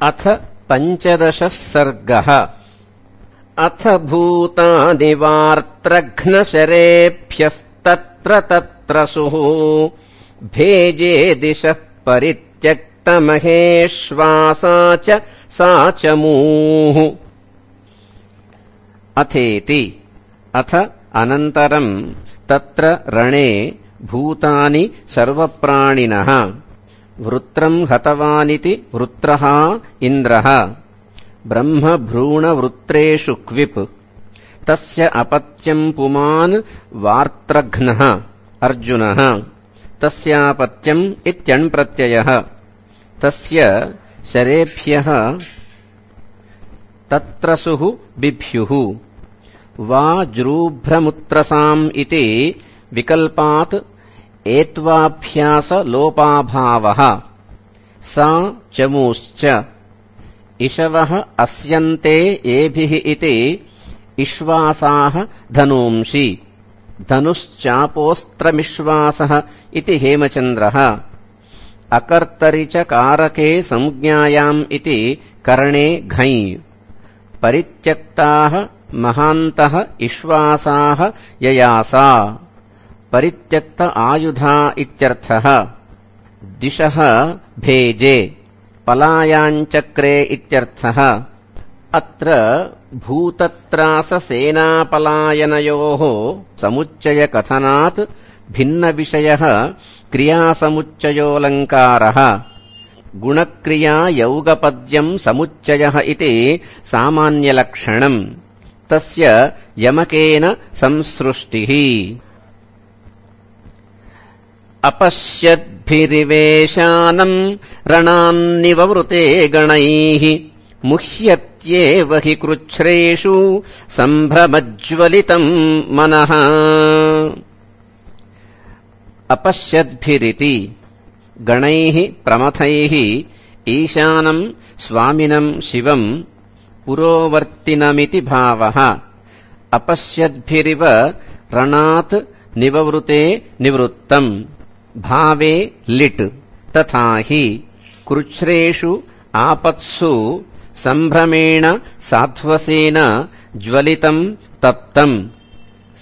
अथ 15 सर्गः। अथ भूतानि वार्त्रघ्नशरेभ्यस्तत्र तत्रसुः भेजे दिशः परित्यक्तमहेश्वासा च सा च मूः। अथेति अथ अनन्तरम् तत्र रणे भूतानि सर्वप्राणिनः वृत्रम् हतवानिति वृत्रः इन्द्रः ब्रह्मभ्रूणवृत्रेषु क्विप् तस्य अपत्यम् पुमान् वार्त्रघ्नः अर्जुनः तस्यापत्यम् इत्यण्प्रत्ययः तस्य शरेभ्यः तत्रसुः बिभ्युः वाज्रूभ्रमुत्रसाम् इति विकल्पात् एत्वाभ्यासलोपाभावः सा चमूश्च इषवः अस्यन्ते एभिः इति इश्वासाः धनूंषि धनुश्चापोस्त्रमिश्वासः इति हेमचन्द्रः अकर्तरि च कारके संज्ञायाम् इति कर्णे घञ् परित्यक्ताः महान्तः इश्वासाः ययासा परित्यक्त आयुधा इत्यर्थः दिशः भेजे पलायाञ्चक्रे इत्यर्थः। अत्र भूतत्राससेनापलायनयोः समुच्चयकथनात् भिन्नविषयः क्रियासमुच्चयोऽलङ्कारः गुणक्रिया यौगपद्यम् समुच्चयः इति सामान्यलक्षणम् तस्य यमकेन संसृष्टिः। अपश्यद्भिरिवेशानम् रणान्निववृते गणैः मुह्यत्येव हि कृच्छ्रेषु सम्भ्रमज्ज्वलितम् मनः। अपश्यद्भिरिति गणैः प्रमथैः ईशानम् स्वामिनम् शिवम् पुरोवर्तिनमिति भावः। अपश्यद्भिरिव रणात् निववृते निवृत्तम् भावे लिट् तथा हि कृच्छ्रेषु आपत्सु सम्भ्रमेण साध्वसेन ज्वलितम् तप्तम्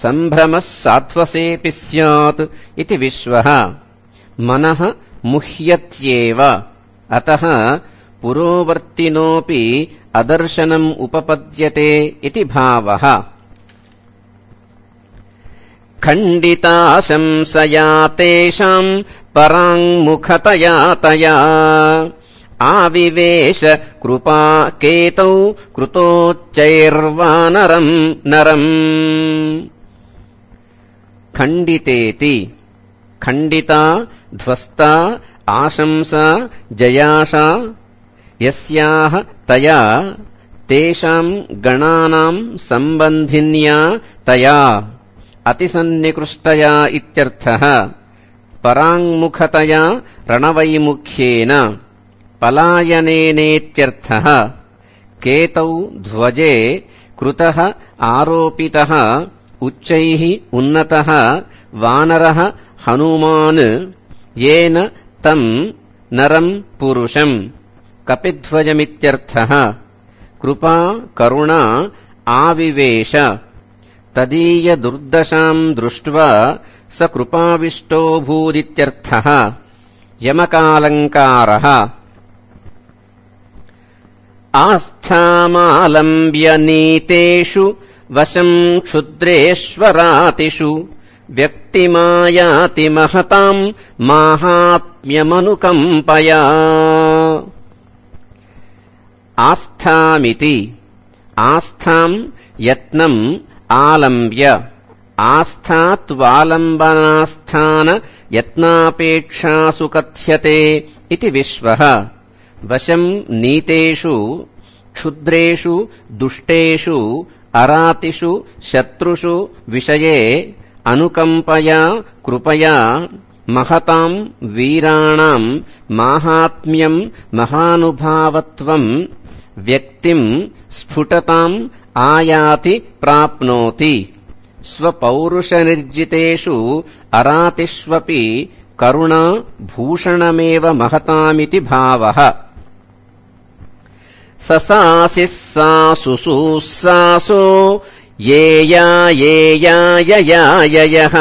सम्भ्रमः साध्वसेऽपि स्यात् इति विश्वः। मनः मुह्यत्येव अतः पुरोवर्तिनोऽपि अदर्शनम् उपपद्यते इति भावः। खण्डिता शंसया तेषाम् पराङ्मुखतया तया आविवेश कृपा केतौ कृतोच्चैर्वानरम् नरम्। खण्डितेति खण्डिता ध्वस्ता आशंसा जयाशा यस्याः तया तेषाम् गणानाम् सम्बन्धिन्या तया अतिसन्निकृष्टया इत्यर्थः। पराङ्मुखतया रणवैमुख्येन पलायनेनेत्यर्थः। केतौ ध्वजे कृतः आरोपितः उच्चैः उन्नतः वानरः हनुमान् येन तम् नरम् पुरुषम् कपिध्वजमित्यर्थः। कृपा करुणा आविवेश तदीयदुर्दशाम् दृष्ट्वा स कृपाविष्टोऽभूदित्यर्थः। यमकालङ्कारः आस्थामालम्ब्य नीतेषु वशम् क्षुद्रेष्वरातिषु व्यक्तिमायाति महताम् माहात्म्यमनुकम्पया। आस्थामिति आस्थाम् यत्नम् आलम्ब्य आस्थात्वालम्बनास्थान यत्नापेक्षासु कथ्यते इति विश्वः। वशम् नीतेषु क्षुद्रेषु दुष्टेषु अरातिषु शत्रुषु विषये अनुकम्पया कृपया महताम् वीराणाम् माहात्म्यम् महानुभावत्वम् व्यक्तिम् स्फुटताम् आयाति प्राप्नोति। स्वपौरुषनिर्जितेषु अरातिष्वपि करुणा भूषणमेव महतामिति भावः। ससासिः सासुसु सासो येया येयाययाययः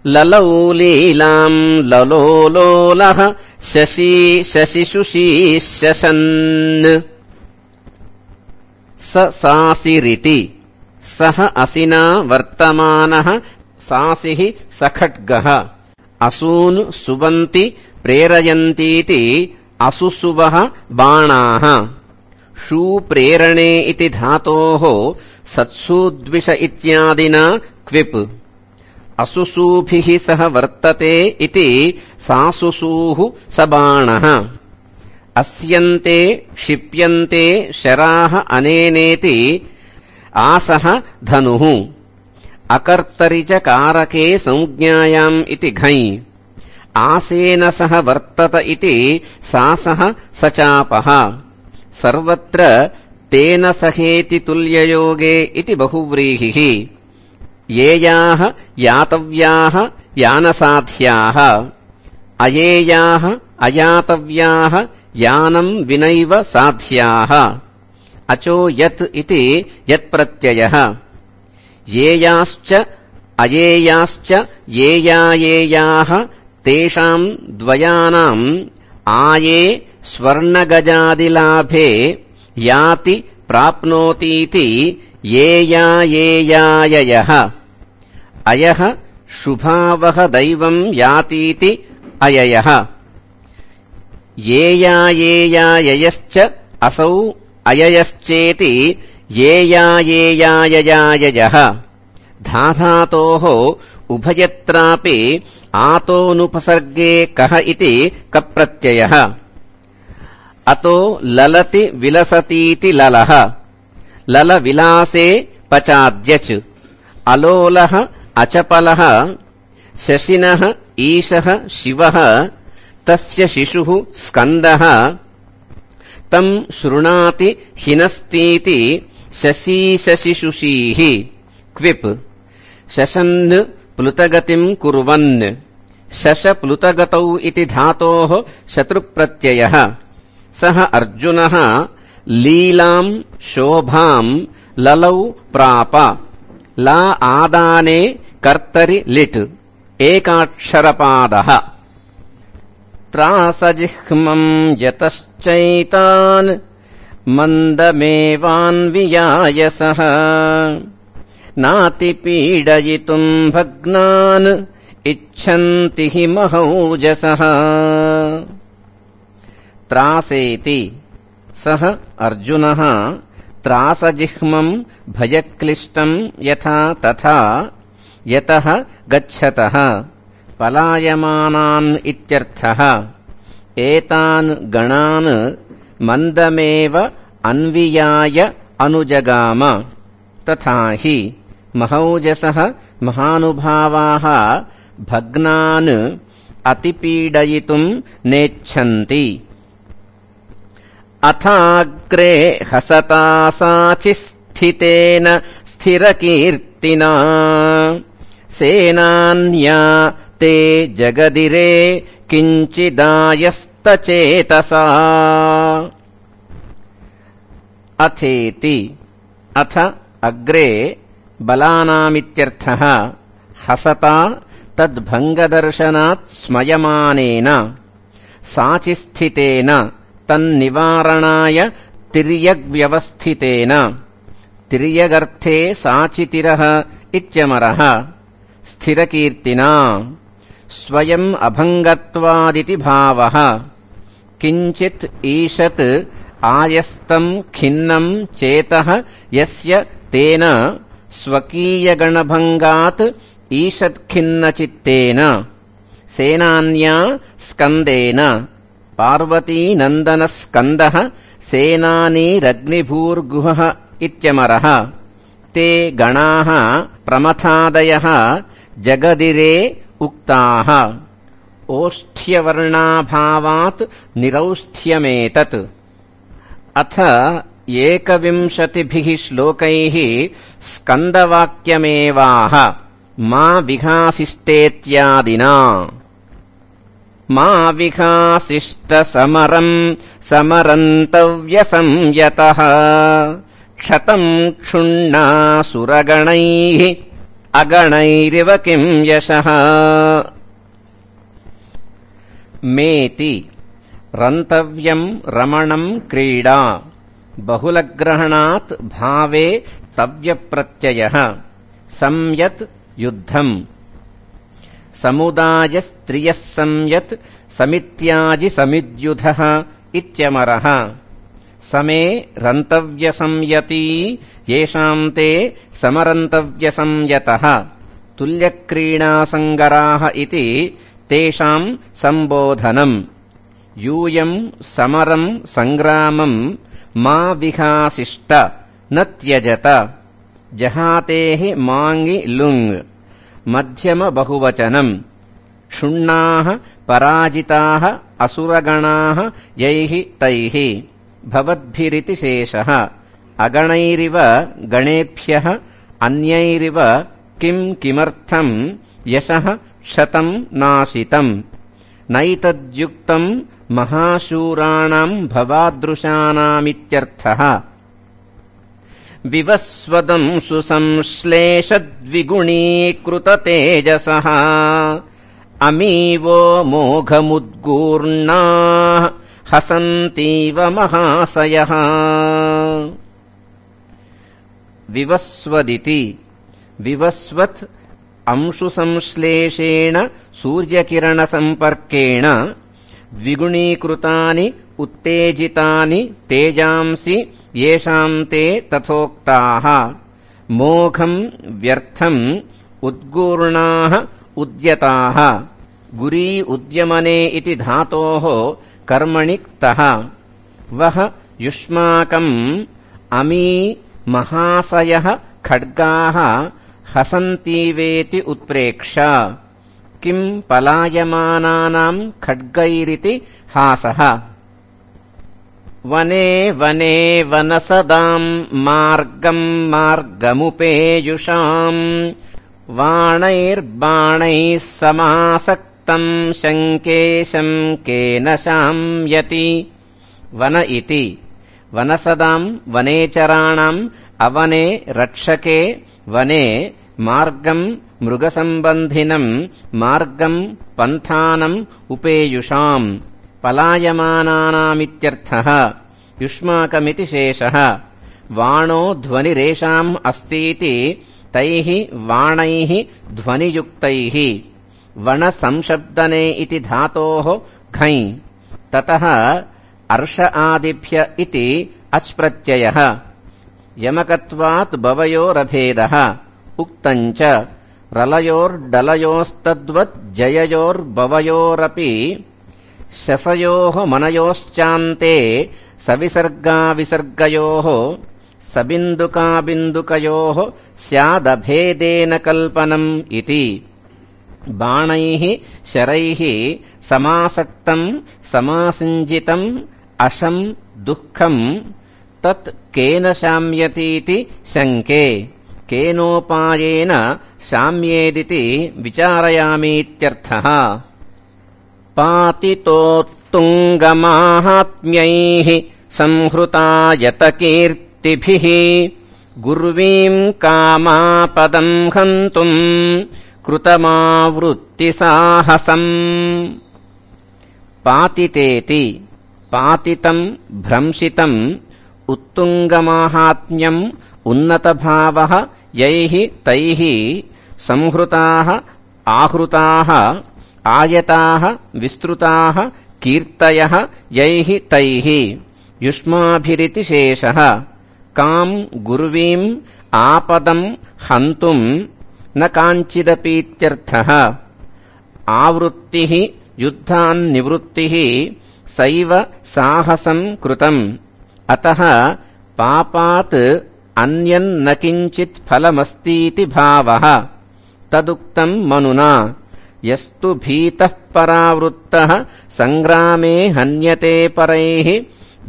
ललौ लीलाम् ललो लोलः शशी शशिशुषी शशन् सासिरिति सः असिना वर्तमानः सासिः सखड्गः असून् सुबन्ति प्रेरयन्तीति असुसुवः बाणाः शूप्रेरणे इति धातोः सत्सूद्विष इत्यादिना क्विप् असुसूभिः सह वर्तते इति सासुसूः स बाणः अस्यन्ते क्षिप्यन्ते शराः अनेनेति आसः धनुः अकर्तरि च कारके संज्ञायाम् इति घञ् आसेन सह वर्तत इति सासः सचापः सर्वत्र तेन सहेति तुल्ययोगे इति बहुव्रीहिः येयाः यातव्याः यानसाध्याः अयेयाः अयातव्याः यानम् विनैव साध्याः अचो यत् इति यत्प्रत्ययः येयाश्च अयेयाश्च येयायेयाः तेषाम् द्वयानाम् आये स्वर्णगजादिलाभे याति प्राप्नोतीति येयायेयाययः अयः शुभावः दैवम् यातीति अययः येयायेयाययश्च असौ अययश्चेति येयायेयाययाययः धाधातोः उभयत्रापि आतोऽनुपसर्गे कः इति कप्रत्ययः अतो ललति विलसतीति ललः ललविलासे पचाद्यच् अलोलः अचपलः शशिनः ईशः शिवः तस्य शिशुः स्कन्दः तम् शृणाति हिनस्तीति शशीशशिशुषीः क्विप् शशन् प्लुतगतिम् कुर्वन् शशप्लुतगतौ इति धातोः शत्रुप्रत्ययः सः अर्जुनः लीलाम् शोभाम् ललौ प्राप ला आदाने कर्तरि लिट् एकाक्षरपादः त्रासजिह्मम् यतश्चैतान् मन्दमेवान्वियायसः नातिपीडयितुम् भग्नान् इच्छन्ति हि महौजसः त्रासेति सः अर्जुनः त्रासजिह्मम् भयक्लिष्टम् यथा तथा यतः गच्छतः पलायमानान् इत्यर्थः एतान् गणान् मन्दमेव अन्वियाय अनुजगाम तथा हि महौजसः महानुभावाः भग्नान् अतिपीडयितुम् नेच्छन्ति अथाग्रे हसता साचिस्थितेन स्थिरकीर्तिना सेनान्या ते जगदिरे किञ्चिदायस्तचेतसा अथेति अथ अग्रे बलानामित्यर्थः हसता तद्भङ्गदर्शनात् स्मयमानेन साचिस्थितेन तन्निवारणाय तिर्यग्व्यवस्थितेन तिर्यगर्थे साचितिरः इत्यमरः स्थिरकीर्तिना स्वयम् अभङ्गत्वादिति भावः किञ्चित् ईषत् आयस्तम् खिन्नम् चेतः यस्य तेन स्वकीयगणभङ्गात् ईषत्खिन्नचित्तेन सेनान्या स्कन्देन पार्वतीनन्दनस्कन्दः सेनानीरग्निभूर्गुहः इत्यमरः ते गणाः प्रमथादयः जगदिरे उक्ताः ओष्ठ्यवर्णाभावात् निरौष्ठ्यमेतत् अथ 21 श्लोकैः स्कन्दवाक्यमेवाह मा विघासिष्टेत्यादिना मा विघासिष्ट समरम् समरन्तव्यसंयतः क्षतम् क्षुण्णासुरगणैः अगणैरिव किं यशः मेति रन्तव्यम् रमणम् क्रीडा बहुलग्रहणात् भावे तव्यप्रत्ययः संयत् युद्धम् समुदायस्त्रियः संयत् समित्याजि समिद्युधः इत्यमरः समे रन्तव्यसंयती येषाम् ते समरन्तव्यसंयतः तुल्यक्रीडासङ्गराः इति तेषाम् सम्बोधनम् यूयम् समरम् सङ्ग्रामम् मा विघासिष्ट न त्यजत जहातेः माङि लुङ् मध्यमबहुवचनम् क्षुण्णाः पराजिताः असुरगणाः यैः तैः भवद्भिरिति शेषः अगणैरिव गणेभ्यः अन्यैरिव किम् किमर्थम् यशः क्षतम् नाशितम् नैतद्युक्तम् महाशूराणाम् भवादृशानामित्यर्थः विवस्वदम् सुसंश्लेषद्विगुणीकृततेजसः अमीवो मोघमुद्गूर्णाः हसन्तीव महाशयः विवस्वदिति विवस्वत् अंशुसंश्लेषेण सूर्यकिरणसम्पर्केण द्विगुणीकृतानि उत्तेजितानि तेजांसि येषाम् ते तथोक्ताः मोघम् व्यर्थम् उद्गूर्णाः उद्यताः गुरी उद्यमने इति धातोः कर्मणि क्तः वः युष्माकम् अमी महाशयः खड्गाः हसन्तीवेति उत्प्रेक्ष किम् पलायमानानाम् खड्गैरिति हासः वने वने वनसदाम् मार्गम् मार्गमुपेयुषाम् वाणैर्बाणैः समासक्तम् शङ्के शङ्केन शाम्यति वन इति वनसदाम् वनेचराणाम् अवने रक्षके वने मार्गम् मृगसम्बन्धिनम् मार्गम् पन्थानम् उपेयुषाम् पलायमानानामित्यर्थः युष्माकमिति शेषः वाणो ध्वनिरेषाम् अस्तीति तैः वाणैः ध्वनियुक्तैः वणसंशब्दने इति धातोः घञ् ततः अर्ष आदिभ्य इति अच् प्रत्ययः यमकत्वात् बवयोरभेदः उक्तम् च रलयोर्डलयोस्तद्वत् जययोर्बवयोरपि शसयोः मनयोश्चान्ते सविसर्गाविसर्गयोः सबिन्दुकाबिन्दुकयोः स्यादभेदेन कल्पनम् इति बाणैः शरैः समासक्तम् समासिञ्जितम् अशम् दुःखम् तत् केन शाम्यतीति शङ्के केनोपायेन शाम्येदिति विचारयामीत्यर्थः पातितोत्तुङ्गमाहात्म्यैः संहृतायतकीर्तिभिः गुर्वीम् कामापदम् हन्तुम् कृतमावृत्तिसाहसम् पातितेति पातितम् भ्रंशितम् उत्तुङ्गमाहात्म्यम् उन्नतभावः यैः तैः संहृताः आहृताः आयताः विस्तृताः कीर्तयः यैः तैः युष्माभिरिति शेषः काम् गुर्वीम् आपदम् हन्तुम् न काञ्चिदपीत्यर्थः आवृत्तिः युद्धान्निवृत्तिः सैव साहसम् कृतम् अतः पापात् अन्यन्न किञ्चित् फलमस्तीति भावः तदुक्तम् मनुना यस्तु भीतः परावृत्तः सङ्ग्रामे हन्यते परैः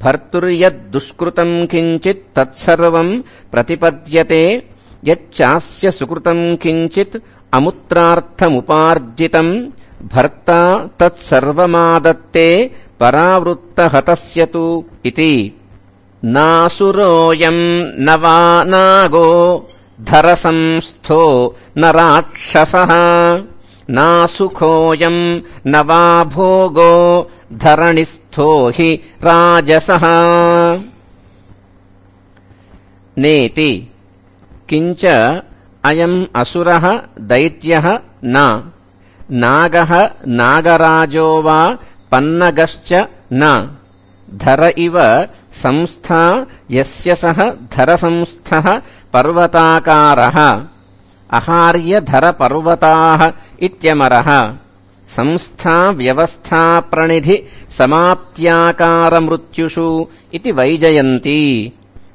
भर्तुर्यद्दुष्कृतम् किञ्चित् तत्सर्वम् प्रतिपद्यते यच्चास्य सुकृतम् किञ्चित् अमुत्रार्थमुपार्जितम् भर्ता तत्सर्वमादत्ते परावृत्तहतस्य तु इति। नासुरोऽयम् न वा नागो धरसंस्थो न राक्षसः नासुखोऽयम् न वा भोगो धरणिस्थो हि राजसः। नेति किञ्च अयम् असुरः दैत्यः न नागः नागराजो वा पन्नगश्च न धर इव संस्था यस्य सः धरसंस्थः पर्वताकारः अहार्यधरपर्वताः इत्यमरः। संस्था व्यवस्था प्रणिधि समाप्त्याकारमृत्युषु इति वैजयन्ती।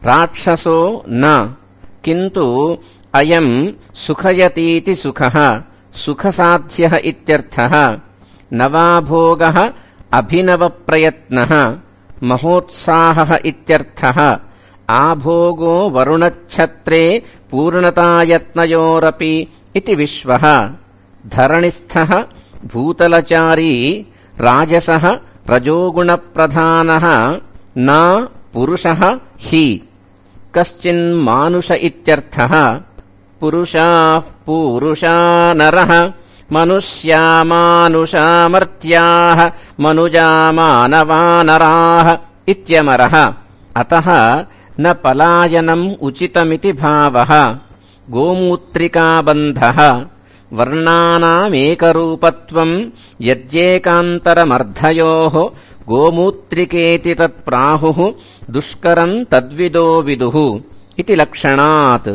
राक्षसो न किन्तु अयम् सुखयतीति सुखः सुखसाध्यः इत्यर्थः। न वा भोगः अभिनवप्रयत्नः महोत्साहः इत्यर्थः। आभोगो वरुणच्छत्रे पूर्णतायत्नयोरपि इति विश्वः। धरणिस्थः भूतलचारी राजसः रजोगुणप्रधानः न पुरुषः हि कश्चिन्मानुष इत्यर्थः। पुरुषाः पूरुषा नरः मनुष्या मानुषा मर्त्याः मनुजा मानवानराः इत्यमरः। अतः न पलायनम् उचितमिति भावः। गोमूत्रिकाबन्धः वर्णानामेकरूपत्वम् यद्येकान्तरमर्धयोः गोमूत्रिकेति तत्प्राहुः दुष्करम् तद्विदो विदुः इति लक्षणात्।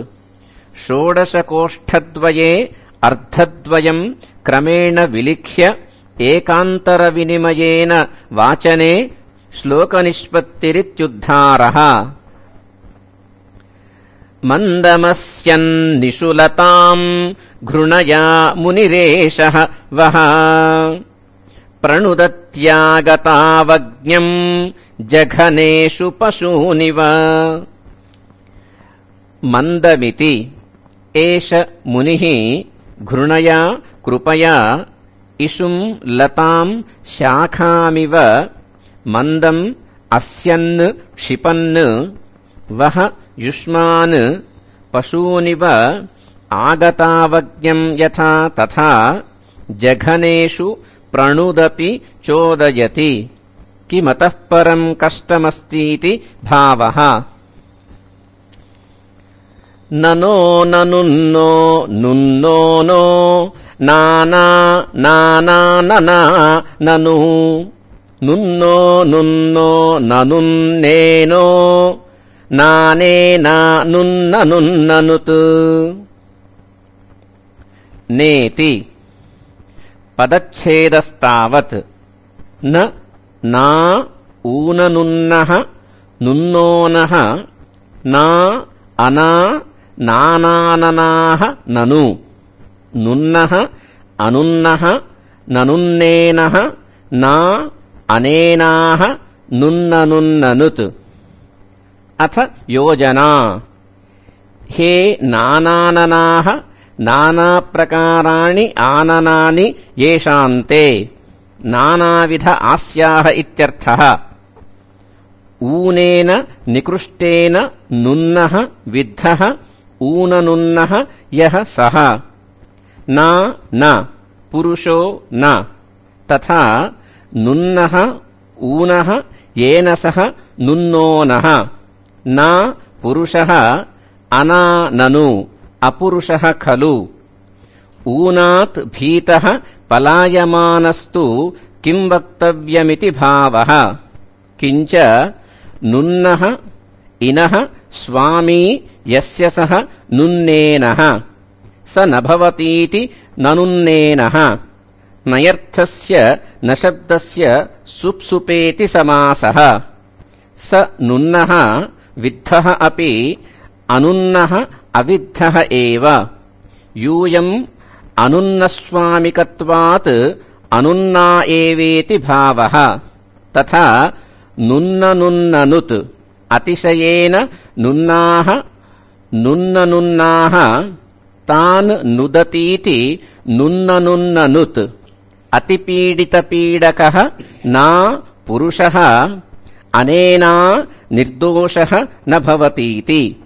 षोडशकोष्ठद्वये अर्धद्वयम् क्रमेण विलिख्य एकान्तरविनिमयेन वाचने श्लोकनिष्पत्तिरित्युद्धारः। मन्दमस्यन्निशुलताम् घृणया मुनिरेषः वः प्रणुदत्यागतावज्ञम् जघनेषु पशूनिव। मन्दमिति एष मुनिः घृणया कृपया इषुम् लताम् शाखामिव मन्दम् अस्यन् क्षिपन् वः युष्मान् पशूनिव आगतावज्ञम् यथा तथा जघनेषु प्रणुदति चोदयति। किमतः परम् कष्टमस्तीति भावः। ननो ननुन्नो नुन्नो नो नाना नाना नना ननु नुन्नो नुन्नो ननुन्नेनो नानेना नुन्ननुन्ननुत्। नेति पदच्छेदस्तावत् न ना ऊननुन्नः नुन्नोनः ना अना नानाननाः ननु नुन्नः अनुन्नः ननुन्नेनः ना अनेनाः नुन्ननुन्ननुत्। अथ योजना हे नानाननाः नानाप्रकाराणि आननानि येषान्ते नानाविध आस्याः इत्यर्थः। ऊनेन निकृष्टेन नुन्नः विद्धः ऊननुन्नः यः सः न पुरुषो न तथा नुन्नः ऊनः येन सह नुन्नोनः न पुरुषः अना ननु अपुरुषः खलु। ऊनात् भीतः पलायमानस्तु किं वक्तव्यमिति भावः। किञ्च नुन्नः इनः स्वामी यस्य सः नुन्नेनः स न भवतीति ननुन्नेनः। नयर्थस्य न शब्दस्य सुप्सुपेति समासः। स नुन्नः विद्धः अपि अनुन्नः अविद्धः एव। यूयम् अनुन्नस्वामिकत्वात् अनुन्ना एवेति भावः। तथा नुन्ननुन्ननुत् अतिशयेन नुन्नाः नुन्ननुन्नाः तान् नुदतीति नुन्ननुन्ननुत्। अतिपीडितपीडकः ना पुरुषः अनेना निर्दोषः न भवतीति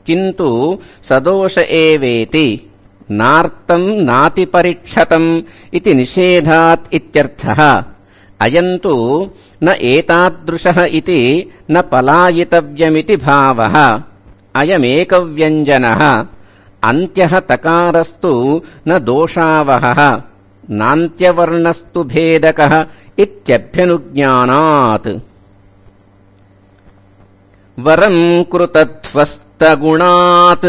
किन्तु सदोष एवेति नार्तं नातिपरिक्षतम् इति निषेधात् इत्यर्थः। अयन्तु न एतादृशः इति न पलायितव्यमिति भावः। अयमेकव्यञ्जनः अन्त्यः तकारस्तु न दोषावहः नान्त्यवर्णस्तु भेदकः इत्यभ्यनुज्ञानात्। वरं कृतध्वस्तगुणात्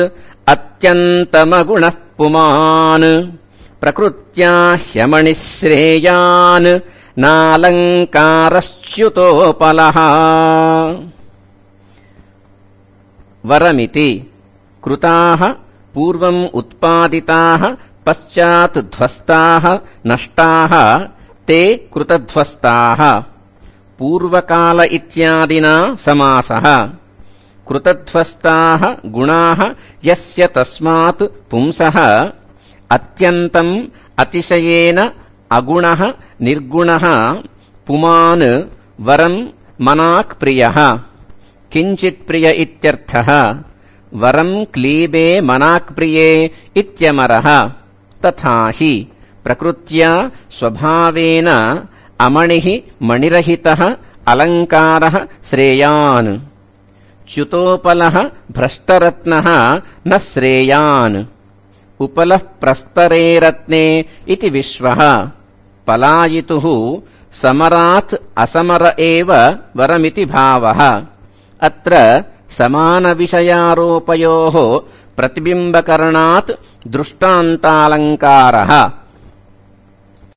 अत्यन्तमगुणः पुमान् प्रकृत्या ह्यमणिश्रेयान् नालङ्कारश्च्युतोपलः। वरमिति कृताः पूर्वम् उत्पादिताः पश्चात् ध्वस्ताः नष्टाः ते कृतध्वस्ताः। पूर्वकाल इत्यादिना समासः। कृतध्वस्ताः गुणाः यस्य तस्मात् पुंसः अत्यन्तम् अतिशयेन अगुणः निर्गुणः पुमान् वरम् मनाक् प्रियः। किञ्चित् प्रिय इत्यर्थः। वरम् क्लीबे मनाक् प्रिये इत्यमरः। तथा हि प्रकृत्या स्वभावेन अमणिः मणिरहितः अलङ्कारः श्रेयान्। च्युतोपलः भ्रष्टरत्नः न श्रेयान्। उपलः प्रस्तरे रत्ने इति विश्वः। पलायितुः समरात् असमर एव वरमिति भावः। अत्र समानविषयारोपयोः प्रतिबिम्बकरणात् दृष्टान्तालङ्कारः।